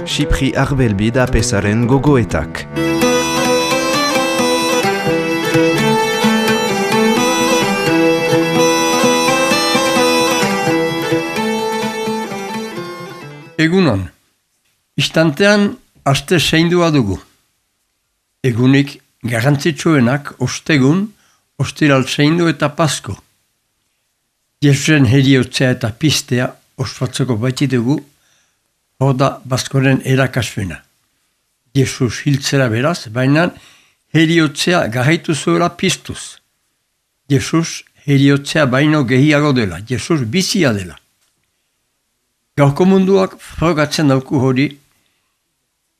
Xipri Arbelbi da pesaren gogoetak. Egunon, istantean aste seindua dugu. Egunik garrantzitsuenak ostegun, ostiral seindu eta pasko. Jesusen heriotzea eta pistea ospatzeko baititugu, hor da baskoren erakasfena. Jesus hiltzera beraz, baina heriotzea garaitu zuela piztuz. Jesus heriotzea baino gehiago dela, Jesus bizia dela. Gaurko munduak frogatzen dauku hori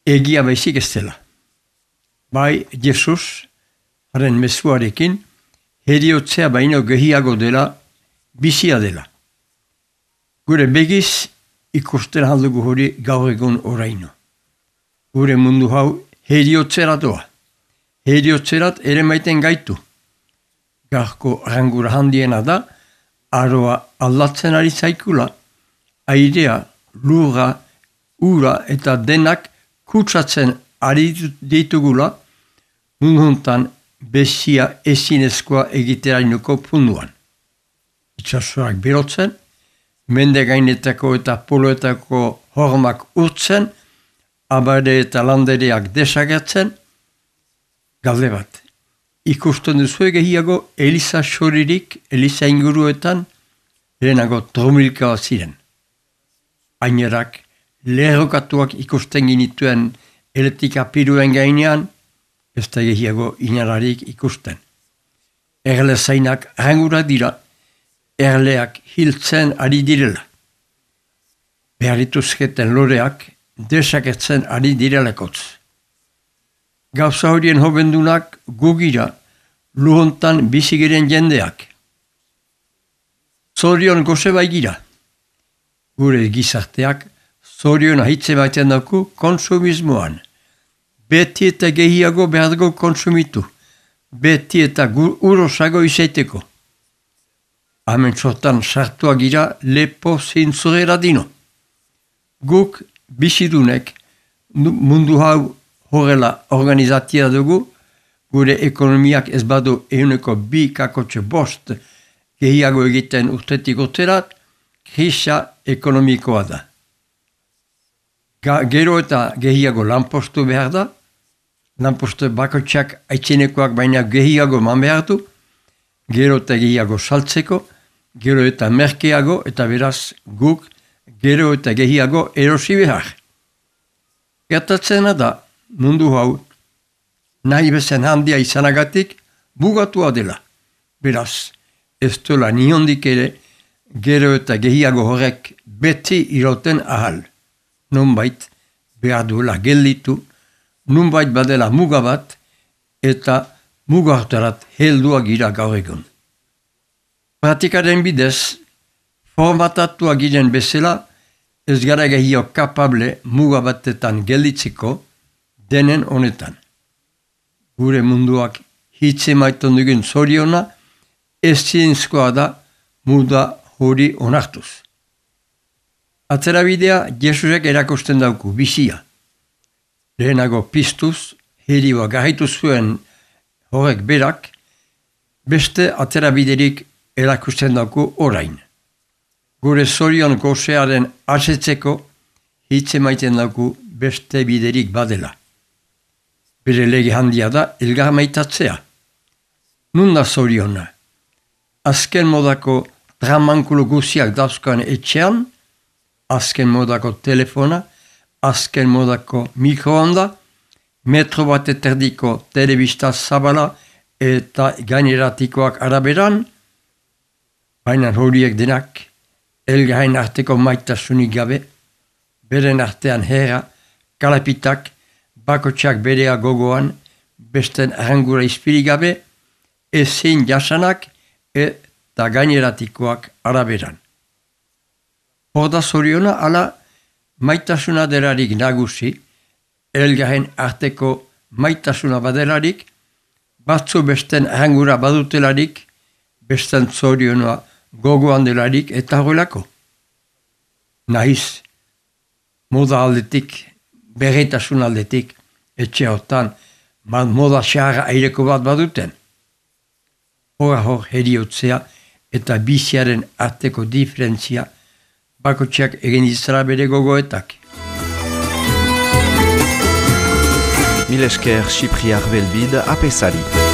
egia baizik ez dela. Bai, Jesus, haren mezuarekin, heriotzea baino gehiago dela, bizia dela. Gure begiz ikusten aldugu hori gaur egun oraino. Gure mundu hau heriotzera doa. Heriotzerat ere maiten gaitu. Gaurko rangura handiena da, aroa aldatzen ari zaikula, airea, lurra, ura eta denak kutsatzen ari ditugula, munduntan besia ezinezkoa egiterainoko punduan. Itsasoak berotzen, mende gainetako eta poloetako hormak urtzen, abade eta landereak desagertzen, galde bat. Ikusten duzu gehiago Eliza soririk, Eliza inguruetan, lehenago tromilka ziren. Ainerak, lerrokatuak ikusten ginituen eletika piruen gainean, ez da gehiago inararik ikusten. Erle zainak rangura dira, erleak hiltzen ari direla. Beharrituzketen loreak desaketzen ari direlekotz. Gauza horien hobendunak gugira luhontan bizigiren jendeak. Zorion goze baigira. Gure gizarteak zorion ahitze baiten dauku konsumismoan. Beti eta gehiago behar dugu konsumitu. Beti eta urosago izaiteko. Hemen sortan sartua gira lepo zintzurera dino. Guk bizidunek mundu hau horrela organizatia dugu, gure ekonomiak ez badu 1,2 gehiago egiten urtetik urterat, krisa ekonomikoa da. Gero eta gehiago lanpostu behar da, lanpostu bakotxak aitzinekoak baina gehiago man behar du, gero eta gehiago saltzeko, gero eta merkeago eta beraz guk gero eta gehiago erosi behar. Gertatzena da mundu hau nahi bezen handia izanagatik bugatua dela. Beraz, ez dola niondik ere gero eta gehiago horrek beti iroten ahal. Nunbait behar duela gelditu, nunbait badela muga bat eta mugartarat heldua gira gaur egun. Pratikaren bidez, formatatua giren bezala, ez gara gehiago kapable muga batetan gelditzeko denen honetan. Gure munduak hitze maiton dugun zoriona, ez zinezkoa da muda hori onartuz. Atzerabidea Jesusek erakusten dauku, bizia. Lehenago piztuz, herioa garritu zuen horrek berak, beste atzerabiderik erakusten dauku orain. Gure zorion gozearen asetzeko hitze maiten dauku beste biderik badela. Bere lege handia da elgar maitatzea. Nun da zoriona? Azken modako tramankulu guziak dauzkoan etxean, azken modako telefona, azken modako mikroonda, metro bat eterdiko telebista zabala eta gaineratikoak araberan, baina horiek denak elgarren arteko maitasunik gabe, beren artean herra, kalapitak, bakotxak berea gogoan, besten arangura izpiri gabe, ezin jasanak eta gaineratikoak araberan. Horda zoriona ala maitasuna delarik nagusi, elgarren arteko maitasuna badelarik, batzu besten arangura badutelarik, besten zorionoa gogoan delarik eta horrelako. nahiz moda aldetik, berretasun aldetik, etxe hortan, moda xarra aireko bat baduten. Hor heriotzea eta biziaren arteko diferentzia bakotxeak egin izara bere gogoetak. Mil esker Cipriar Belbide apesari.